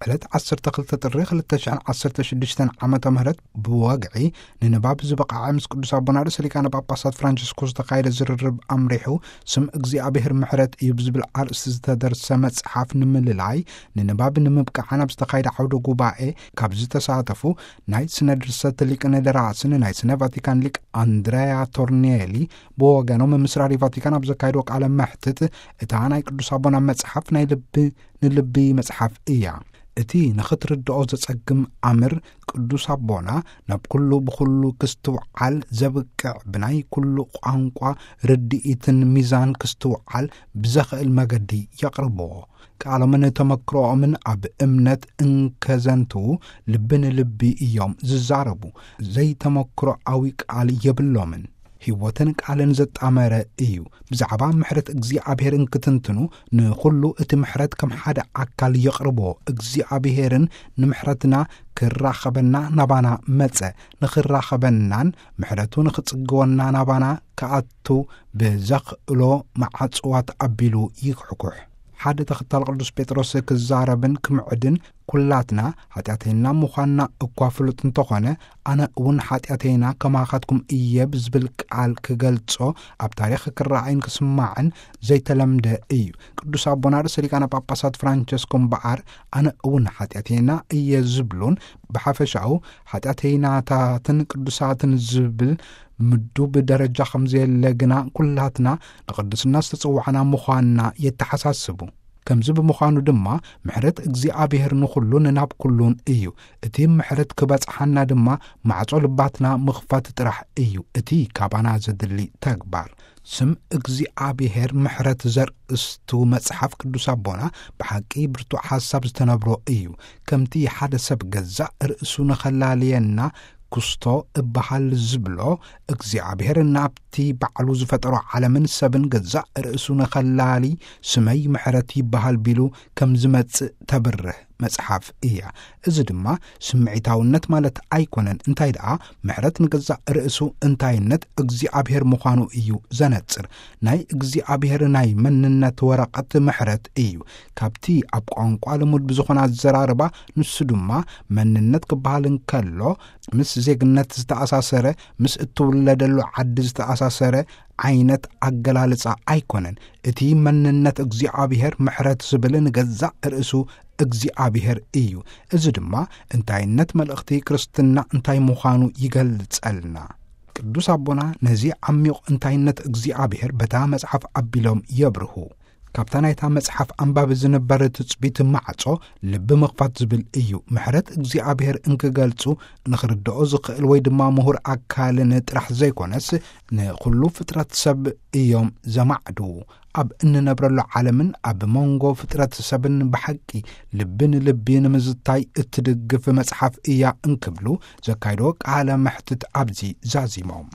ዕለት ዓሰርተ ክልተ ጥሪ ክልተ ሽሕን ዓሰርተ ሽዱሽተን ዓመተ ምህረት ብወግዒ ንንባብ ዝበቕዐ ምስ ቅዱስ ኣቦና ርእሰ ሊቃነ ጳጳሳት ፍራንቸስኮስ ዝተኻየደ ዝርርብ ኣምሪሑ፣ ስም እግዚኣብሔር ምሕረት እዩ ብዝብል ኣርእስቲ ዝተደርሰ መጽሓፍ ንምልላይ ንንባብ ንምብቃዕ ናብ ዝተኻየደ ዓውደ ጉባኤ ካብ ዝተሳተፉ ናይ ስነ ድርሰት ሊቅን ደራስን ናይ ስነ ቫቲካን ሊቅ ኣንድረያ ቶርኒየሊ ብወገኖም ምስ ራድዮ ቫቲካን ኣብ ዘካየድዎ ቃለ መሕትት፣ እታ ናይ ቅዱስ ኣቦና መጽሓፍ ናይ ልቢ ንልቢ መጽሓፍ እያ። እቲ ንኽትርድኦ ዘጸግም ኣምር ቅዱስ ኣቦና ናብ ኩሉ ብኹሉ ክስትውዓል ዘብቅዕ ብናይ ኩሉ ቋንቋ ርድኢትን ሚዛን ክስትውዓል ብዘኽእል መገዲ የቕርብዎ። ቃሎምን ተመክሮኦምን ኣብ እምነት እንከዘንትዉ ልቢ ንልቢ እዮም ዝዛረቡ። ዘይተመክሮኣዊ ቃል የብሎምን። ህይወትን ቃልን ዘጣመረ እዩ። ብዛዕባ ምሕረት እግዚኣብሔር እንክትንትኑ ንኹሉ እቲ ምሕረት ከም ሓደ ኣካል የቕርቦ። እግዚኣብሔርን ንምሕረትና ክራኸበና ናባና መጸ። ንኽራኸበናን ምሕረቱ ንኽጽግወና ናባና ክኣቱ ብዘኽእሎ መዓጽዋት ኣቢሉ ይኩሕኩሕ። ሓደ ተኸታል ቅዱስ ጴጥሮስ ክዛረብን ክምዕድን ኩላትና ኃጢኣተይና ምዃንና እኳ ፍሉጥ እንተኾነ፣ ኣነ እውን ኃጢኣተይና ከማኻትኩም እየ ብዝብል ቃል ክገልጾ ኣብ ታሪኽ ክረኣይን ክስማዕን ዘይተለምደ እዩ። ቅዱስ ኣቦና ርእሰ ሊቃነ ጳጳሳት ፍራንቸስኮ እምበኣር ኣነ እውን ኃጢኣተይና እየ ዝብሉን ብሓፈሻኡ ኃጢኣተይናታትን ቅዱሳትን ዝብል ምዱብ ደረጃ ከም ዘየለ ግና ኩላትና ንቕድስና ዝተጸዋዕና ምዃንና የተሓሳስቡ። ከምዚ ብምዃኑ ድማ ምሕረት እግዚኣብሔር ንኹሉን ናብ ኩሉን እዩ። እቲ ምሕረት ክበጽሓና ድማ ማዕጾ ልባትና ምኽፋት ጥራሕ እዩ እቲ ካባና ዘድሊ ተግባር። ስም እግዚኣብሔር ምሕረት ዘርእስቱ መጽሓፍ ቅዱስ ኣቦና ብሓቂ ብርቱዕ ሓሳብ ዝተነብሮ እዩ። ከምቲ ሓደ ሰብ ገዛእ ርእሱ ንኸላልየና ክስቶ እበሃል ዝብሎ፣ እግዚኣብሔር ናብቲ ባዕሉ ዝፈጠሮ ዓለምን ሰብን ገዛእ ርእሱ ንኸላሊ ስመይ ምሕረት ይበሃል ቢሉ ከም ዝመጽእ ተብርህ መጽሓፍ እያ። እዚ ድማ ስምዒታውነት ማለት ኣይኮነን። እንታይ ደኣ ምሕረት ንገዛእ ርእሱ እንታይነት እግዚኣብሔር ምዃኑ እዩ ዘነጽር። ናይ እግዚኣብሔር ናይ መንነት ወረቐት ምሕረት እዩ። ካብቲ ኣብ ቋንቋ ልሙድ ብዝኾነ ኣዘራርባ፣ ንሱ ድማ መንነት ክበሃል እንከሎ ምስ ዜግነት ዝተኣሳሰረ፣ ምስ እትውለደሉ ዓዲ ዝተኣሳሰረ ዓይነት ኣገላልጻ ኣይኮነን። እቲ መንነት እግዚኣብሔር ምሕረት ዝብል ንገዛእ ርእሱ እግዚኣብሔር እዩ። እዚ ድማ እንታይነት መልእኽቲ ክርስትና እንታይ ምዃኑ ይገልጸልና። ቅዱስ ኣቦና ነዚ ዓሚቕ እንታይነት እግዚኣብሔር በታ መጽሓፍ ኣቢሎም የብርሁ። ካብታ ናይታ መጽሓፍ ኣንባቢ ዝንበር ትጽቢት ማዕጾ ልቢ ምኽፋት ዝብል እዩ። ምሕረት እግዚኣብሔር እንክገልጹ ንኽርድኦ ዝኽእል ወይ ድማ ምሁር ኣካልን ጥራሕ ዘይኮነስ ንኹሉ ፍጥረት ሰብ እዮም ዘማዕድዉ። ኣብ እንነብረሉ ዓለምን ኣብ መንጎ ፍጥረት ሰብን ብሓቂ ልቢ ንልቢ ንምዝታይ እትድግፍ መጽሓፍ እያ እንክብሉ ዘካይዶ ቃለ መሕትት ኣብዚ ዛዚሞም።